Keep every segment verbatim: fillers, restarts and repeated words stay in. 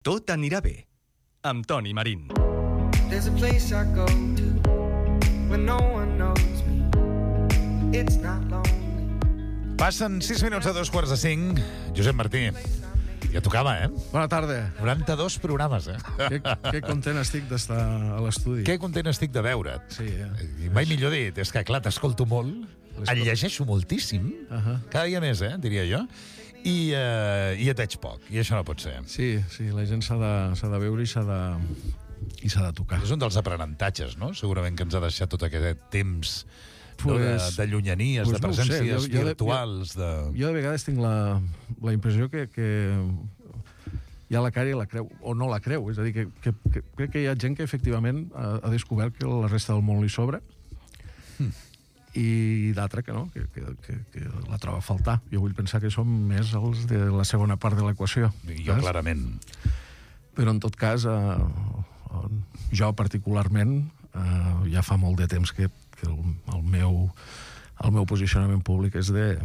Tot anirà bé, amb Toni Marín. There's a place I go to when no one knows me. It's not lonely. Passen sis minuts a dos quarts de cinc. Josep Martí, ja tocava, eh? Bona tarda. noranta-dos programes, eh? Que, que content estic d'estar a l'estudi. Que content estic de veure't. Sí, eh? I mai millor dit, és que, clar, t'escolto molt, el llegeixo moltíssim, Uh-huh. cada dia més, eh, diria jo, i, uh, i et veig poc, i això no pot ser. Sí, sí, la gent s'ha de, s'ha de veure i s'ha de, i s'ha de tocar. És un dels aprenentatges, no? Segurament que ens ha deixat tot aquest temps no? de, Pues- de llunyanies, pues de no ho sé, presències jo- jo de- virtuals, de... Jo de vegades tinc la, la impressió que, que hi ha la cara i la creu, o no la creu. És a dir, que, que, que crec que hi ha gent que efectivament ha, ha descobert que la resta del món li sobra Hmm. i d'altra que no, que, que, que, que la troba a faltar. Jo vull pensar que som més els de la segona part de l'equació. Jo, saps? clarament. Però en tot cas, eh, eh, jo particularment, eh, ja fa molt de temps que, que el, el, meu, el meu posicionament públic és de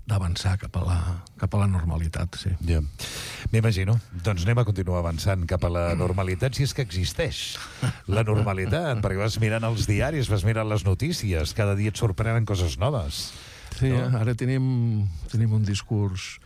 d'avançar cap a la, cap a la normalitat, sí. Ja. M'imagino. Doncs anem a continuar avançant cap a la normalitat, si és que existeix la normalitat, perquè vas mirant els diaris, vas mirant les notícies, cada dia et sorprenen coses noves. Sí, No? no? Ara tenim, tenim un discurs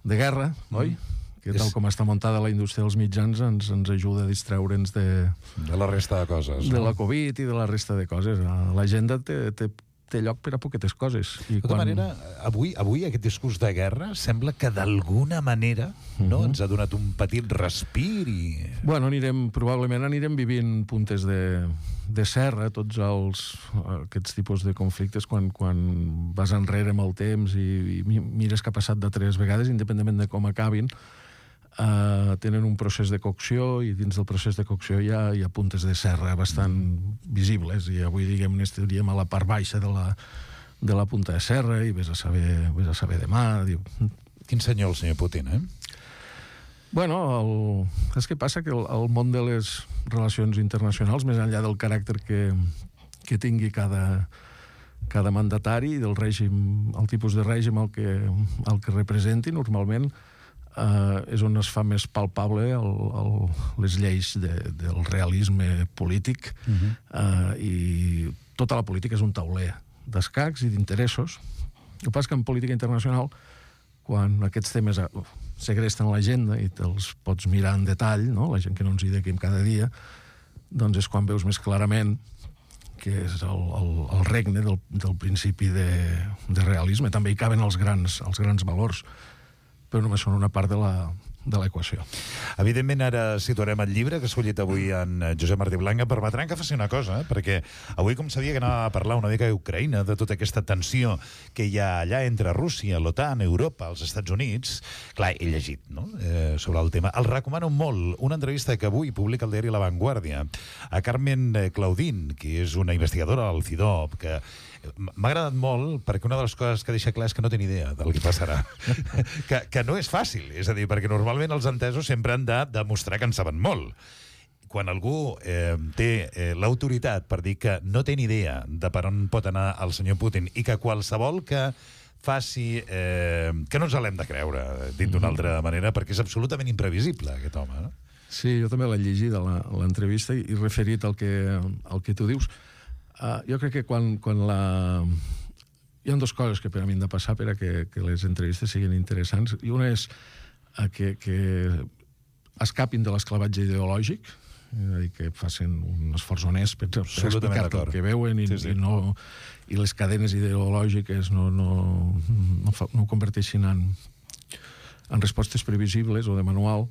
de guerra, oi? Que tal És- com està muntada la indústria dels mitjans ens, ens ajuda a distreure'ns de, De la resta de coses. de no? la Covid i de la resta de coses. L'agenda té, té, té lloc per a poquetes coses. I De tota manera, avui, avui aquest discurs de guerra sembla que d'alguna manera no, Mhm. ens ha donat un petit respir i... Bueno, anirem, probablement anirem vivint puntes de, de serra, tots els, aquests tipus de conflictes, quan, quan vas enrere amb el temps i, i mi- mires que ha passat de tres vegades, independentment de com acabin, eh, tenen un procés de cocció i dins del procés de cocció hi ha, hi ha puntes de serra bastant visibles i avui, diguem-ne, estaríem a la part baixa de la, de la punta de serra i vés a saber, vés a saber demà. Diu, Quin senyor el senyor Putin, eh? Bueno, el, és que passa que el, el món de les relacions internacionals, més enllà del caràcter que, que tingui cada, cada mandatari i del règim, el tipus de règim al que, al que representi, normalment eh, és on es fa més palpable el, el, les lleis de, del realisme polític Mhm. eh, i tota la política és un tauler d'escacs i d'interessos. El que passa que en política internacional, quan aquests temes eh, segresten l'agenda i te'ls pots mirar en detall, no? La gent que no ens hi dediquem cada dia, doncs és quan veus més clarament que és el, el, el regne del, del principi de, de realisme. També hi caben els grans, els grans valors, però només són una part de la de l'equació. Evidentment, ara situarem el llibre que ha escollit avui en Josep Martí Blanca. Permetran que faci una cosa, eh? Perquè avui, com sabia que anava a parlar una mica d'Ucraïna, de tota aquesta tensió que hi ha allà entre Rússia, l'OTAN, Europa, els Estats Units, clar, he llegit no? eh, sobre el tema. El recomano molt. Una entrevista que avui publica el diari La Vanguardia a Carmen Claudín, que és una investigadora del C I D O P, que m'ha agradat molt perquè una de les coses que deixa clar és que no té ni idea del que passarà. que, que no és fàcil, és a dir, perquè normalment els entesos sempre han de demostrar que en saben molt. Quan algú eh, té eh, l'autoritat per dir que no té ni idea de per on pot anar el senyor Putin i que qualsevol que faci... Eh, que no ens l'hem de creure, dit d'una altra manera, perquè és absolutament imprevisible, aquest home. No? Sí, jo també l'he llegit a la- a l'entrevista i, i referit al que, al que tu dius. Uh, jo crec que quan, quan la... Hi ha dues coses que per a mi han de passar per a que, que les entrevistes siguin interessants. I una és uh, que, que escapin de l'esclavatge ideològic, és a dir, que facin un esforç honest per, per Absolutament explicar d'acord. el que veuen i, Sí, sí. i, no, i les cadenes ideològiques no, no, no, fa, no ho converteixin en, en respostes previsibles o de manual.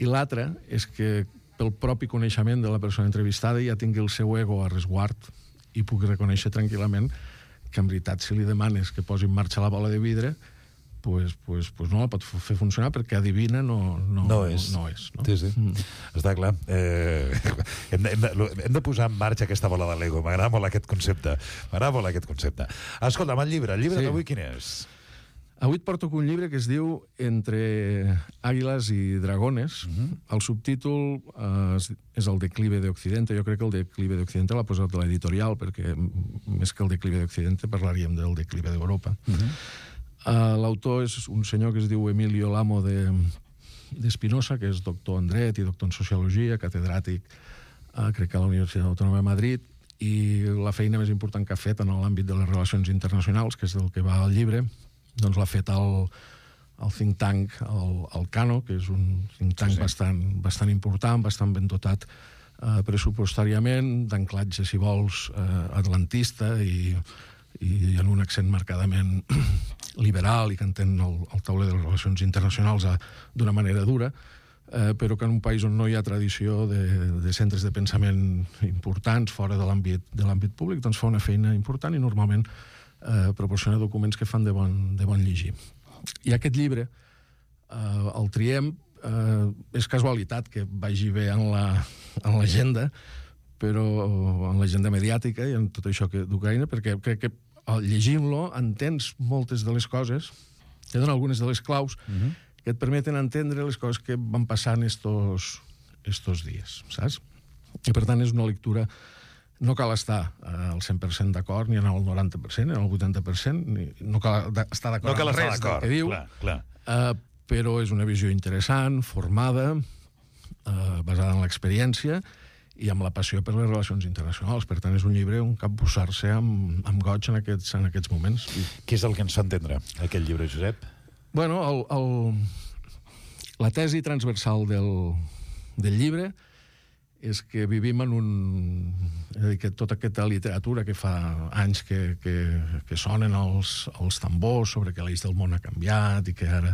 I l'altra és que pel propi coneixement de la persona entrevistada ja tingui el seu ego a resguard i pugui reconèixer tranquil·lament que en veritat si li demanes que posi en marxa la bola de vidre pues, pues, pues no la pot fer funcionar perquè adivina no, no, No és. No, no és no? Sí, sí. Mm. Està clar. Eh, hem, de, hem, de, hem de posar en marxa aquesta bola de Lego. M'agrada molt aquest concepte. M'agrada molt aquest concepte. Escolta'm, el llibre. El llibre Sí. d'avui quin és? Avui et porto un llibre que es diu Entre àguiles i dragones. Mhm. El subtítol eh, és- és el declive de Occidente. Jo crec que el declive de Occidente l'ha posat l'editorial, perquè m- més que el declive de Occidente parlaríem del declive d'Europa. Uh -huh. Uh, L'autor és un senyor que es diu Emilio Lamo de, d'Espinosa, que és doctor en dret i doctor en sociologia, catedràtic, eh, crec que a la Universitat Autònoma de Madrid, i la feina més important que ha fet en l'àmbit de les relacions internacionals, que és del que va al llibre, doncs l'ha fet al, al think tank, el, el Cano, que és un think tank sí, sí. bastant, bastant important, bastant ben dotat eh, pressupostàriament, d'anclatge, si vols, eh, atlantista i, i en un accent marcadament liberal i que entén el, el tauler de les relacions internacionals d'una manera dura, eh, però que en un país on no hi ha tradició de, de centres de pensament importants fora de l'àmbit de l'àmbit públic, doncs fa una feina important i normalment eh, proporciona documents que fan de bon, de bon llegir. I aquest llibre, eh, el triem, eh, és casualitat que vagi bé en l'agenda, però en l'agenda mediàtica i en tot això que d'Ucraïna, perquè crec que llegint-lo entens moltes de les coses, te donen algunes de les claus uh-huh. que et permeten entendre les coses que van passant estos, estos dies, saps? I per tant és una lectura, no cal estar al cent per cent d'acord, ni en el noranta per cent, ni en el vuitanta per cent, ni, no cal estar d'acord no cal amb estar res del que diu, clar, clar. Uh, però és una visió interessant, formada, uh, basada en l'experiència, i amb la passió per les relacions internacionals. Per tant, és un llibre on cap posar-se amb, amb goig en aquests, en aquests moments. Què és el que ens fa entendre, aquest llibre, Josep? Bueno, el, el, la tesi transversal del, del llibre és que vivim en un... És a dir, que tota aquesta literatura que fa anys que, que, que sonen els, els tambors sobre que l'eix del món ha canviat i que ara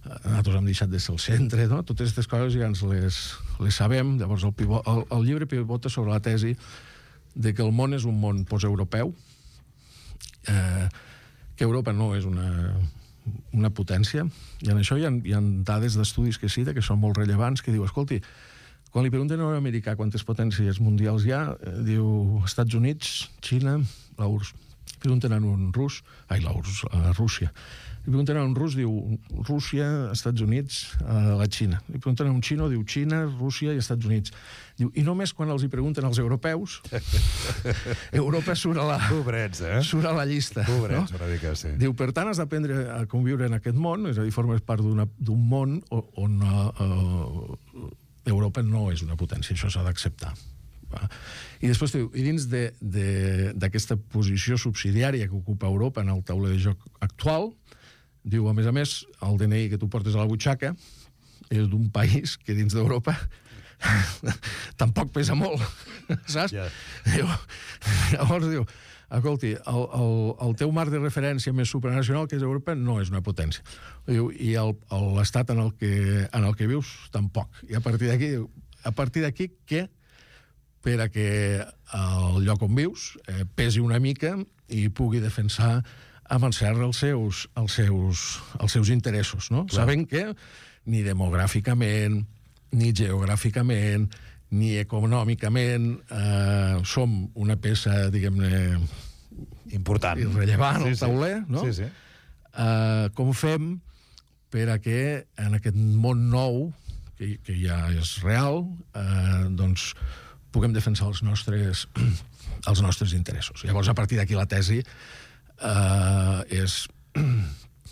nosaltres hem deixat de ser el centre, no? Totes aquestes coses ja ens les, les sabem. Llavors el, pivot, el, el llibre pivota sobre la tesi de que el món és un món posteuropeu, eh, que Europa no és una, una potència, i en això hi ha, hi ha dades d'estudis que cita que són molt rellevants, que diu, escolti, quan li pregunten a un americà quantes potències mundials hi ha, eh, diu Estats Units, Xina, la U R S S. Pregunten a un rus, ai, la U R S S, a Rússia. Li pregunten a un rus, diu Rússia, Estats Units, a la Xina. Li pregunten a un xino, diu Xina, Rússia i Estats Units. Diu, i només quan els hi pregunten als europeus, Europa surt a la, Pobrets, eh? surt a la llista. Pobrets, no? una mica, sí. Diu, per tant, has d'aprendre a conviure en aquest món, és a dir, formes part d'un món on uh, Europa no és una potència, això s'ha d'acceptar. I després diu, i dins d'aquesta posició subsidiària que ocupa Europa en el tauler de joc actual, diu, a més a més, el D N I que tu portes a la butxaca és d'un país que dins d'Europa tampoc pesa molt, saps? Yeah. Diu, llavors diu, escolti, el, el, el teu marc de referència més supranacional, que és Europa, no és una potència. Diu, i l'estat en, el que, en el que vius, tampoc. I a partir d'aquí, a partir d'aquí, què? Per a que el lloc on vius eh, pesi una mica i pugui defensar amb encert els seus, els seus, els seus interessos, no? Clar. Sabent que ni demogràficament, ni geogràficament, ni econòmicament eh, som una peça, diguem-ne, important, irrellevant sí, al tauler, sí. no? Sí, sí. Eh, com fem per a que en aquest món nou, que, que ja és real, eh, doncs puguem defensar els nostres, els nostres interessos. Llavors, a partir d'aquí, la tesi eh, és...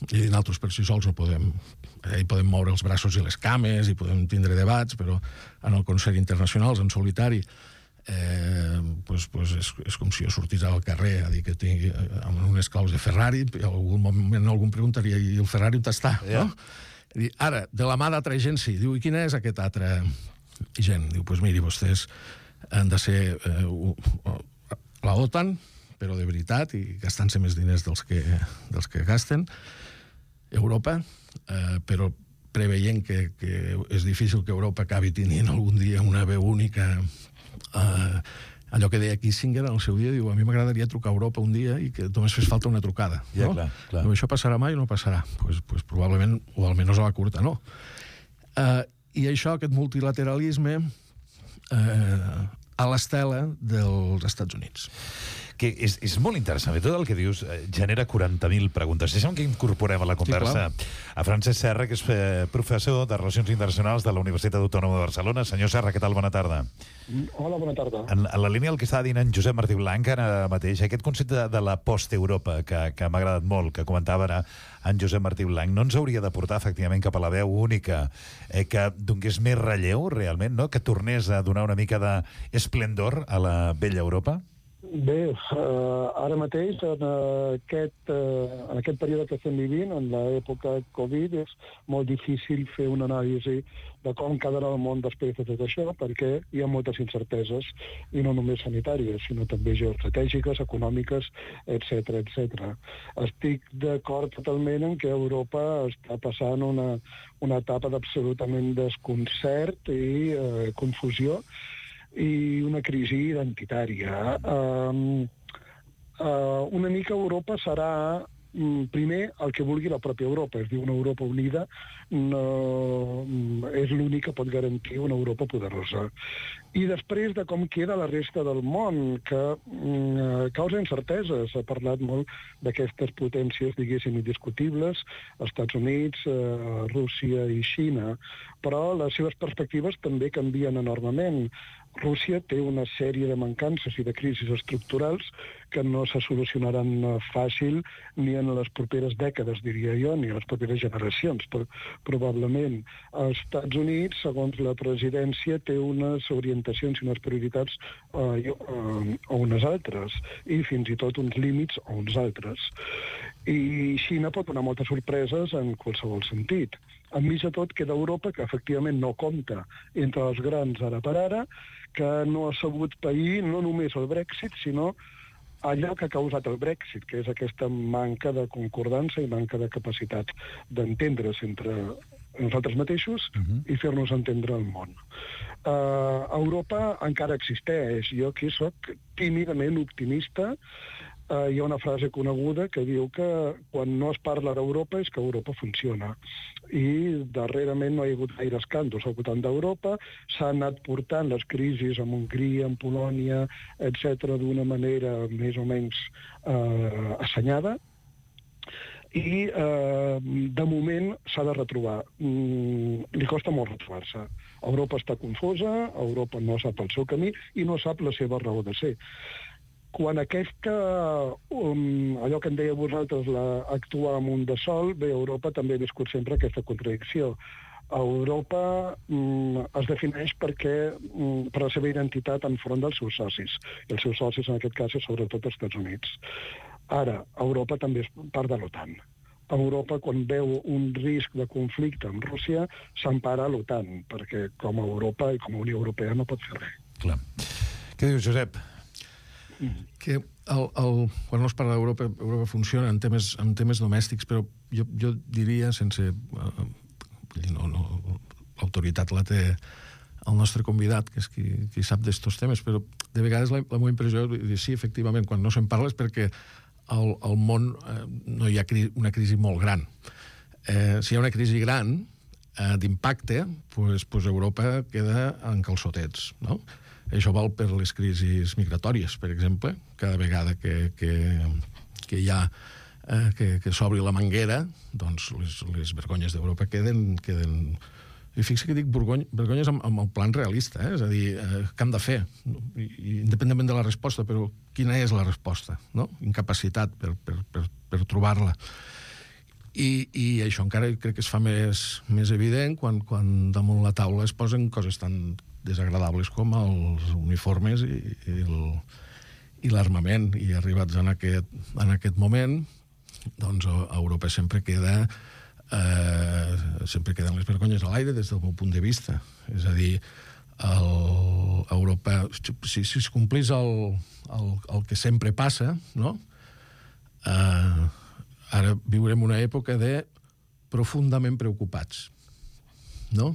I nosaltres per si sols no podem... Hi podem moure els braços i les cames i podem tindre debats, però en el concert internacional, en solitari, eh, pues, pues és, és com si jo sortís al carrer a dir que tingui amb unes claus de Ferrari, i en algun moment algú em preguntaria i el Ferrari on està, yeah. no? I ara, de la mà d'altra gent sí. Diu, i quina és aquest altre gent? Diu, pues miri, vostès han de ser eh, la OTAN, però de veritat, i gastant-se més diners dels que, dels que gasten, Europa, eh, però preveient que, que és difícil que Europa acabi tenint algun dia una veu única. Eh, allò que deia Kissinger en el seu dia, diu, a mi m'agradaria trucar a Europa un dia i que només fes falta una trucada. Ja, no? clar, clar. Diu, això passarà mai o no passarà? Pues, pues probablement, o almenys a la curta, no. Eh, I això, aquest multilateralisme, eh, a l'estela dels Estats Units. que és, és molt interessant. Tot el que dius eh, genera quaranta mil preguntes. Deixa'm que incorporem a la conversa sí, a Francesc Serra, que és eh, professor de Relacions Internacionals de la Universitat Autònoma de Barcelona. Senyor Serra, què tal? Bona tarda. Hola, bona tarda. En, en la línia del que estava dient en Josep Martí Blanc ara mateix, aquest concepte de, de la post-Europa, que, que m'ha agradat molt, que comentava ara en Josep Martí Blanc, no ens hauria de portar efectivament cap a la veu única, eh, que donés més relleu realment, no? Que tornés a donar una mica d'esplendor a la vella Europa? Bé, uh, ara mateix, en aquest, uh, en aquest període que estem vivint, en l'època Covid, és molt difícil fer una anàlisi de com quedarà el món després de tot això, perquè hi ha moltes incerteses, i no només sanitàries, sinó també geoestratègiques, econòmiques, etcètera, etcètera. Estic d'acord totalment en que Europa està passant una, una etapa d'absolutament desconcert i uh, confusió, i una crisi identitària. Um, uh, una mica Europa serà um, primer el que vulgui la pròpia Europa, és dir, una Europa unida no, um, és l'únic que pot garantir una Europa poderosa. I després de com queda la resta del món, que um, causa incerteses. Ha parlat molt d'aquestes potències, diguéssim, indiscutibles, Estats Units, uh, Rússia i Xina, però les seves perspectives també canvien enormement. Rússia té una sèrie de mancances i de crisis estructurals que no se solucionaran fàcil ni en les properes dècades, diria jo, ni en les properes generacions, però probablement. Els Estats Units, segons la presidència, té unes orientacions i unes prioritats eh, o unes altres, i fins i tot uns límits o uns altres. I Xina pot donar moltes sorpreses en qualsevol sentit. Enmig de tot queda Europa, que efectivament no compta entre els grans ara per ara, que no ha sabut pair no només el Brexit, sinó allò que ha causat el Brexit, que és aquesta manca de concordança i manca de capacitat d'entendre's entre nosaltres mateixos uh-huh. i fer-nos entendre el món. Uh, Europa encara existeix. Jo aquí sóc tímidament optimista. Uh, hi ha una frase coneguda que diu que quan no es parla d'Europa és que Europa funciona. I darrerament no hi ha hagut gaire escàndols al voltant d'Europa, s'han anat portant les crisis en Hongria, en Polònia, etcètera, d'una manera més o menys uh, assenyada, i eh, de moment s'ha de retrobar. Mm, li costa molt retrobar-se. Europa està confosa, Europa no sap el seu camí i no sap la seva raó de ser. Quan aquesta, um, allò que en deia vosaltres, la, actuar amb un de sol, bé, Europa també ha viscut sempre aquesta contradicció. Europa um, es defineix perquè, um, per la seva identitat enfront dels seus socis, i els seus socis en aquest cas és sobretot els Estats Units. Ara, Europa també és part de l'OTAN. Europa, quan veu un risc de conflicte amb Rússia, s'empara a l'OTAN, perquè com a Europa i com a Unió Europea no pot fer res. Clar. Què dius, Josep? Que el, el, quan no es parla d'Europa, Europa funciona en temes, en temes domèstics, però jo, jo diria, sense... Uh, no, no, l'autoritat la té el nostre convidat, que és qui, qui sap d'estos temes, però de vegades la, la meva impressió és dir, sí, efectivament, quan no se'n parla és perquè al, al món eh, no hi ha cri, una crisi molt gran. Eh, si hi ha una crisi gran eh, d'impacte, pues, pues Europa queda en calçotets, no? Això val per les crisis migratòries, per exemple. Cada vegada que, que, que hi ha eh, que, que s'obri la manguera, doncs les, les vergonyes d'Europa queden, queden... I fixa que dic vergony, vergonyes amb, amb el plan realista, eh? És a dir, eh, què hem de fer? I, independentment de la resposta, però quina és la resposta? No? Incapacitat per, per, per, per trobar-la. I, I això encara crec que es fa més, més evident quan, quan damunt la taula es posen coses tan desagradables com els uniformes i, i, el, i l'armament. I arribats en aquest, en aquest moment, doncs a Europa sempre queda eh, sempre queden les vergonyes a l'aire des del meu punt de vista. És a dir, el, Europa, si, si es complís el, el, el que sempre passa, no? Eh, ara viurem una època de profundament preocupats, no?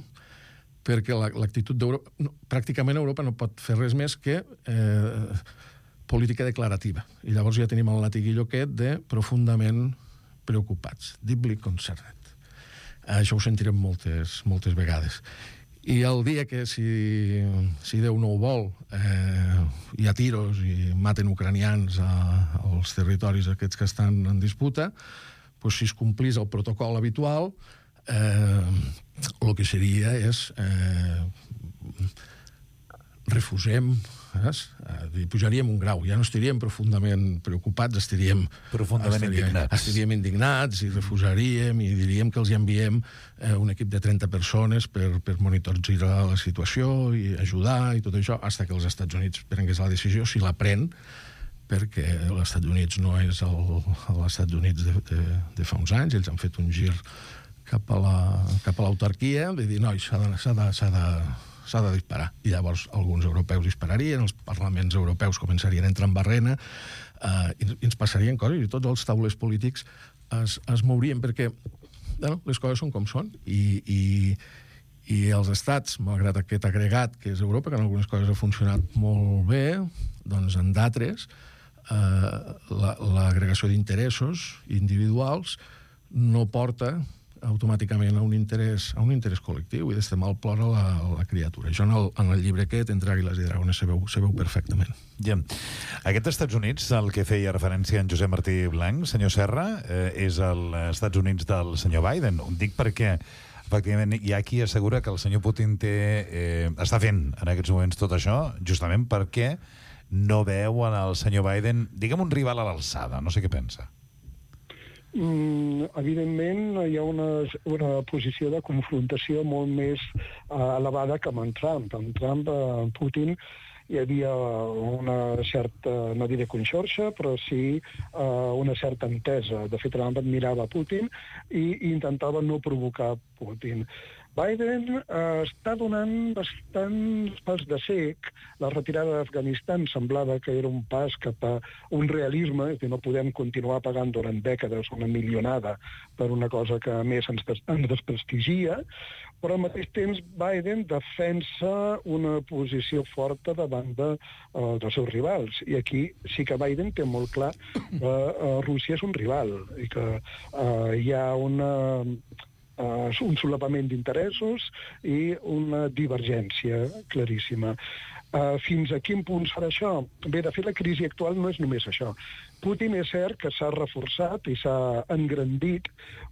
Perquè l'actitud d'Europa... No, pràcticament Europa no pot fer res més que eh, política declarativa. I llavors ja tenim el latiguillo aquest de profundament preocupats, deeply concerned. Això ho sentirem moltes, moltes vegades. I el dia que, si, si Déu no ho vol, eh, hi ha tiros i maten ucranians a, als territoris aquests que estan en disputa, doncs si es complís el protocol habitual, eh, el que seria és eh, refusem, saps? Eh, pujaríem un grau, ja no estaríem profundament preocupats, estaríem profundament estaríem, indignats. Estaríem indignats i refusaríem i diríem que els enviem eh, un equip de trenta persones per, per monitoritzar la situació i ajudar i tot això, fins que els Estats Units prengués la decisió, si la pren, perquè els Estats Units no és els Estats Units de, de, de fa uns anys, ells han fet un gir cap a la, cap a l'autarquia, de dir, noi, s'ha de, s'ha de, s'ha de, s'ha de disparar. I llavors alguns europeus dispararien, els parlaments europeus començarien a entrar en barrena, eh, i, i ens passarien coses, i tots els taules polítics es, es mourien, perquè bueno, les coses són com són, i, i, i els estats, malgrat aquest agregat que és Europa, que en algunes coses ha funcionat molt bé, doncs en d'altres, eh, l'agregació d'interessos individuals no porta automàticament a un interès, a un interès col·lectiu, i d'este mal plora la, la criatura. Això en el, en el llibre aquest, Entre àguiles i dragones, se veu, se veu perfectament. Ja. Aquest Estats Units, al que feia referència en Josep Martí Blanc, senyor Serra, eh, és els Estats Units del senyor Biden. Ho dic perquè efectivament hi ha qui assegura que el senyor Putin té, eh, està fent en aquests moments tot això justament perquè no veu en el senyor Biden, diguem, un rival a l'alçada. No sé què pensa. Mm, evidentment hi ha una, una posició de confrontació molt més uh, elevada que amb en Trump. Amb Trump, uh, amb Putin, hi havia una certa, no diré conxorxa, però sí uh, una certa entesa. De fet, Trump admirava Putin i, i intentava no provocar Putin. Biden eh, està donant bastants pas de cec. La retirada d'Afganistan semblava que era un pas cap a un realisme, és a dir, no podem continuar pagant durant dècades una milionada per una cosa que a més ens, des ens desprestigia, però al mateix temps Biden defensa una posició forta davant de, uh, dels seus rivals. I aquí sí que Biden té molt clar que uh, Rússia és un rival i que uh, hi ha una... Uh, un solapament d'interessos i una divergència claríssima. Uh, fins a quin punt serà això? Bé, de fet, la crisi actual no és només això. Putin és cert que s'ha reforçat i s'ha engrandit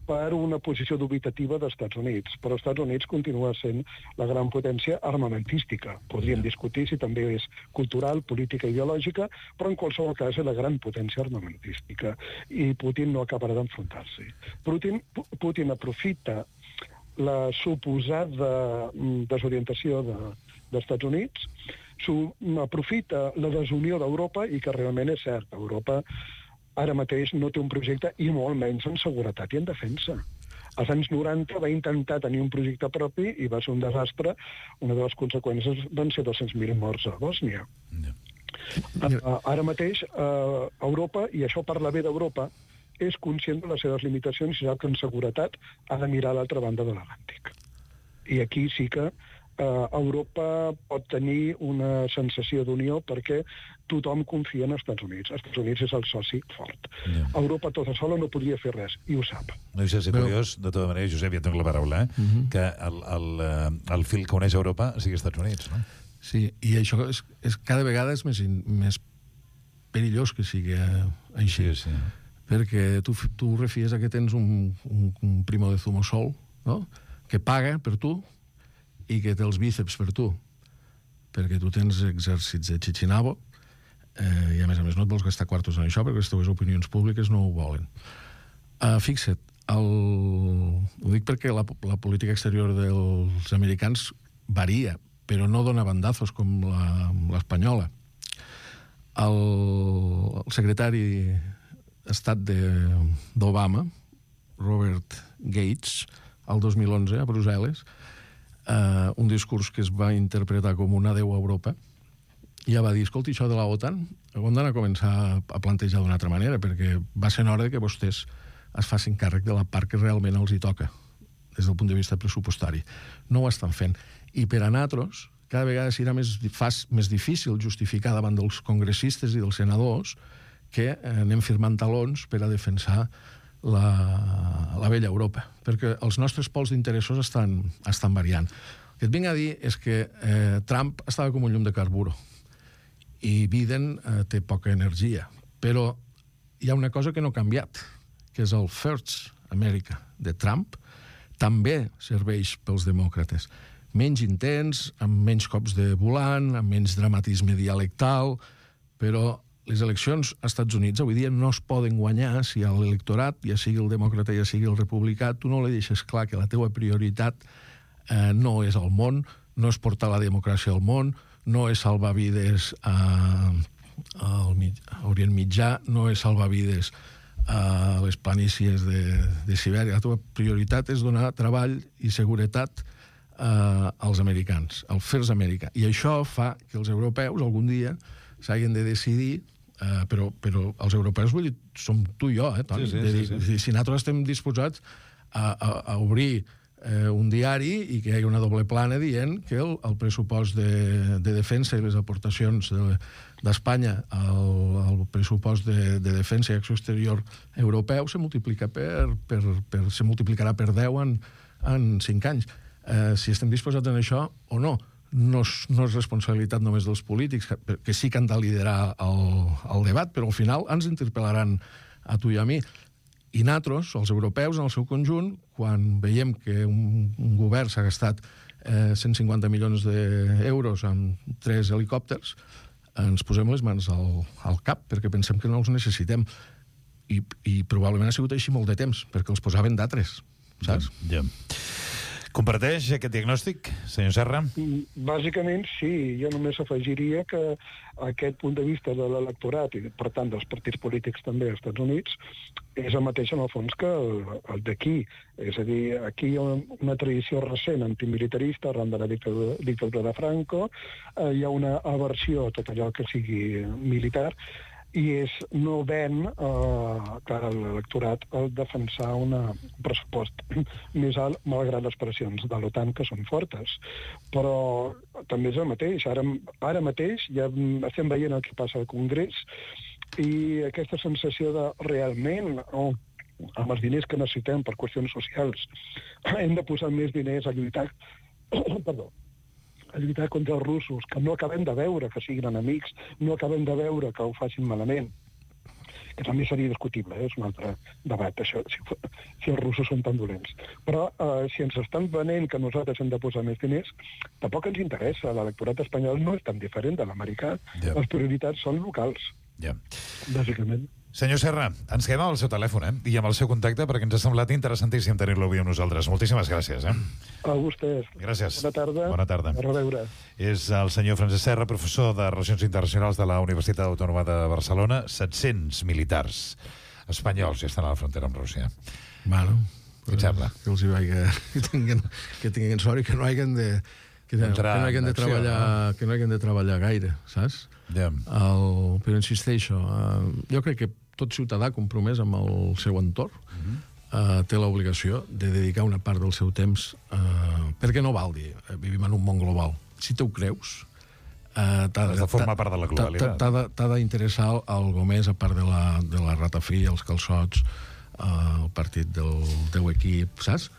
per una posició dubitativa dels Estats Units, però els Estats Units continua sent la gran potència armamentística. Podríem discutir si també és cultural, política, ideològica, però en qualsevol cas és la gran potència armamentística i Putin no acabarà d'enfrontar-s'hi. Putin, Putin aprofita la suposada desorientació de, dels Estats Units, aprofita la desunió d'Europa i que realment és cert, Europa ara mateix no té un projecte i molt menys en seguretat i en defensa. Als anys noranta va intentar tenir un projecte propi i va ser un desastre. Una de les conseqüències van ser dos-cents mil morts a Bòsnia. No. Uh, ara mateix uh, Europa, i això parla bé d'Europa, és conscient de les seves limitacions i sap que en seguretat ha de mirar a l'altra banda de l'Atlàntic. I aquí sí que Uh, Europa pot tenir una sensació d'unió perquè tothom confia en els Estats Units. Els Estats Units és el soci fort. Yeah. Europa tota sola no podria fer res, i ho sap. No deixa de ser curiós, de tota manera, Josep, ja tinc la paraula, eh? uh -huh. que el, el, el fil que uneix Europa sigui Estats Units, no? Sí, i això és, és cada vegada és més, més perillós que sigui així. Sí, sí. Perquè tu, tu refies a que tens un, un, un primo de zumo sol, no?, que paga per tu i que té els bíceps per tu, perquè tu tens exèrcits de Chichinabo eh, i a més a més no et vols gastar quartos en això perquè les teves opinions públiques no ho volen. Uh, fixa't, el... ho dic perquè la, la política exterior dels americans varia, però no dona bandazos com l'espanyola. El, el secretari d'Estat d'Obama, Robert Gates, el dos mil onze a Brussel·les, Uh, un discurs que es va interpretar com un adeu a Europa, ja va dir, escolti, això de la OTAN ho hem d'anar a començar a plantejar d'una altra manera, perquè va ser hora que vostès es facin càrrec de la part que realment els hi toca des del punt de vista pressupostari. No ho estan fent. I per a nosaltres cada vegada serà més, fas, més difícil justificar davant dels congressistes i dels senadors que anem firmant talons per a defensar la, la vella Europa, perquè els nostres pols d'interessos estan, estan variant. que et vinc a dir és que eh, Trump estava com un llum de carburo i Biden eh, té poca energia. Però hi ha una cosa que no ha canviat, que és el First America de Trump, també serveix pels demòcrates. Menys intens, amb menys cops de volant, amb menys dramatisme dialectal, però les eleccions als Estats Units avui dia no es poden guanyar si a l'electorat, ja sigui el demòcrata, ja sigui el republicà, tu no li deixes clar que la teua prioritat eh, no és el món, no és portar la democràcia al món, no és salvar vides a, al mig, a Orient Mitjà, no és salvar vides a les planícies de, de Sibèria. La teva prioritat és donar treball i seguretat eh, als americans, al First America. I això fa que els europeus algun dia s'hagin de decidir, eh, però, però els europeus, vull dir, som tu i jo, eh, Toni? Sí, sí, de dir, sí, sí. Si nosaltres estem disposats a, a, a obrir eh, un diari i que hi hagi una doble plana dient que el, el pressupost de, de defensa i les aportacions de, d'Espanya al, al pressupost de, de defensa i acció exterior europeu se multiplica per, per, per, se multiplicarà per deu en, en cinc anys. Eh, si estem disposats en això o no. No és, no és responsabilitat només dels polítics, que, que sí que han de liderar el, el debat, però al final ens interpel·laran a tu i a mi. I nosaltres, els europeus, en el seu conjunt, quan veiem que un, un govern s'ha gastat eh, cent cinquanta milions d'euros en tres helicòpters, ens posem les mans al, al cap, perquè pensem que no els necessitem. I, i probablement ha sigut així molt de temps, perquè els posaven d'altres, saps? Ja. Comparteix aquest diagnòstic, senyor Serra? Bàsicament, sí. Jo només afegiria que aquest punt de vista de l'electorat i, per tant, dels partits polítics també als Estats Units és el mateix, en el fons, que el, el d'aquí. És a dir, aquí hi ha una tradició recent antimilitarista arran de la dictadura, dictadura de Franco, eh, hi ha una aversió a tot allò que sigui militar, i és no ven eh, cara a l'electorat el defensar una, un pressupost més alt, malgrat les pressions de l'OTAN, que són fortes. Però també és el mateix. Ara, ara mateix ja estem veient el que passa al Congrés i aquesta sensació de realment, oh, amb els diners que necessitem per qüestions socials, hem de posar més diners a lluitar perdó, a lluitar contra els russos, que no acabem de veure que siguin enemics, no acabem de veure que ho facin malament, que també seria discutible, eh? És un altre debat, això, si, si els russos són tan dolents. Però eh, si ens estan venent que nosaltres hem de posar més diners, tampoc ens interessa. L'electorat espanyol no és tan diferent de l'americà. Ja. Les prioritats són locals, Ja. bàsicament. Senyor Serra, ens quedem amb el seu telèfon, eh? I amb el seu contacte, perquè ens ha semblat interessantíssim tenir-lo avui amb nosaltres. Moltíssimes gràcies, eh? A vostès. Gràcies. Bona tarda. Bona tarda. A reveure. És el senyor Francesc Serra, professor de Relacions Internacionals de la Universitat Autònoma de Barcelona. set-cents militars espanyols ja estan a la frontera amb Rússia. Bueno, Què et sembla? Que els hi vagi, que tinguin, que tinguin sort i que no hagin de, que, que Entrar no hagin en de acció, treballar, que no hagin de treballar gaire, saps? Ja. El, però insisteixo, uh, jo crec que tot ciutadà compromès amb el seu entorn uh-huh. uh, té l'obligació de dedicar una part del seu temps, uh, perquè no val dir, uh, vivim en un món global. Si te ho creus, uh, t'ha Has de formar part de la globalitat. T'ha de, t'ha d'interessar algo més, a part de la, de la ratafia, els calçots, uh, el partit del teu equip, saps?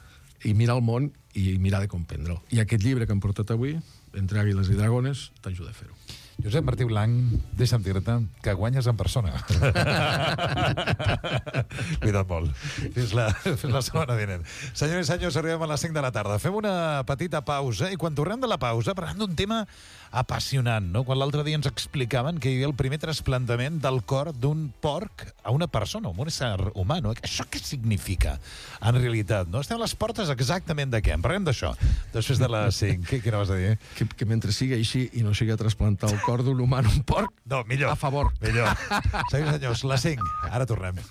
I mirar el món i mirar de comprendre'l. I aquest llibre que hem portat avui, Entre àguiles i dragones, t'ajuda a fer-ho. Josep Martí Blanc, deixa'm dir-te que guanyes en persona. Cuida't molt. Fins la, fins la setmana vinent. Senyors i senyors, arribem a les cinc de la tarda. Fem una petita pausa i quan tornem de la pausa parlem d'un tema apassionant, no? Quan l'altre dia ens explicaven que hi havia el primer trasplantament del cor d'un porc a una persona, un ésser humà, no? Això què significa, en realitat, no? Estem a les portes exactament de què? En parlem d'això. Després de les cinc. Què, què anaves a dir? Que, que mentre sigui així i no sigui a trasplantar el cor d'un humà en un porc, No, millor. a favor. Millor. Senyors i senyors, les cinc. Ara tornem.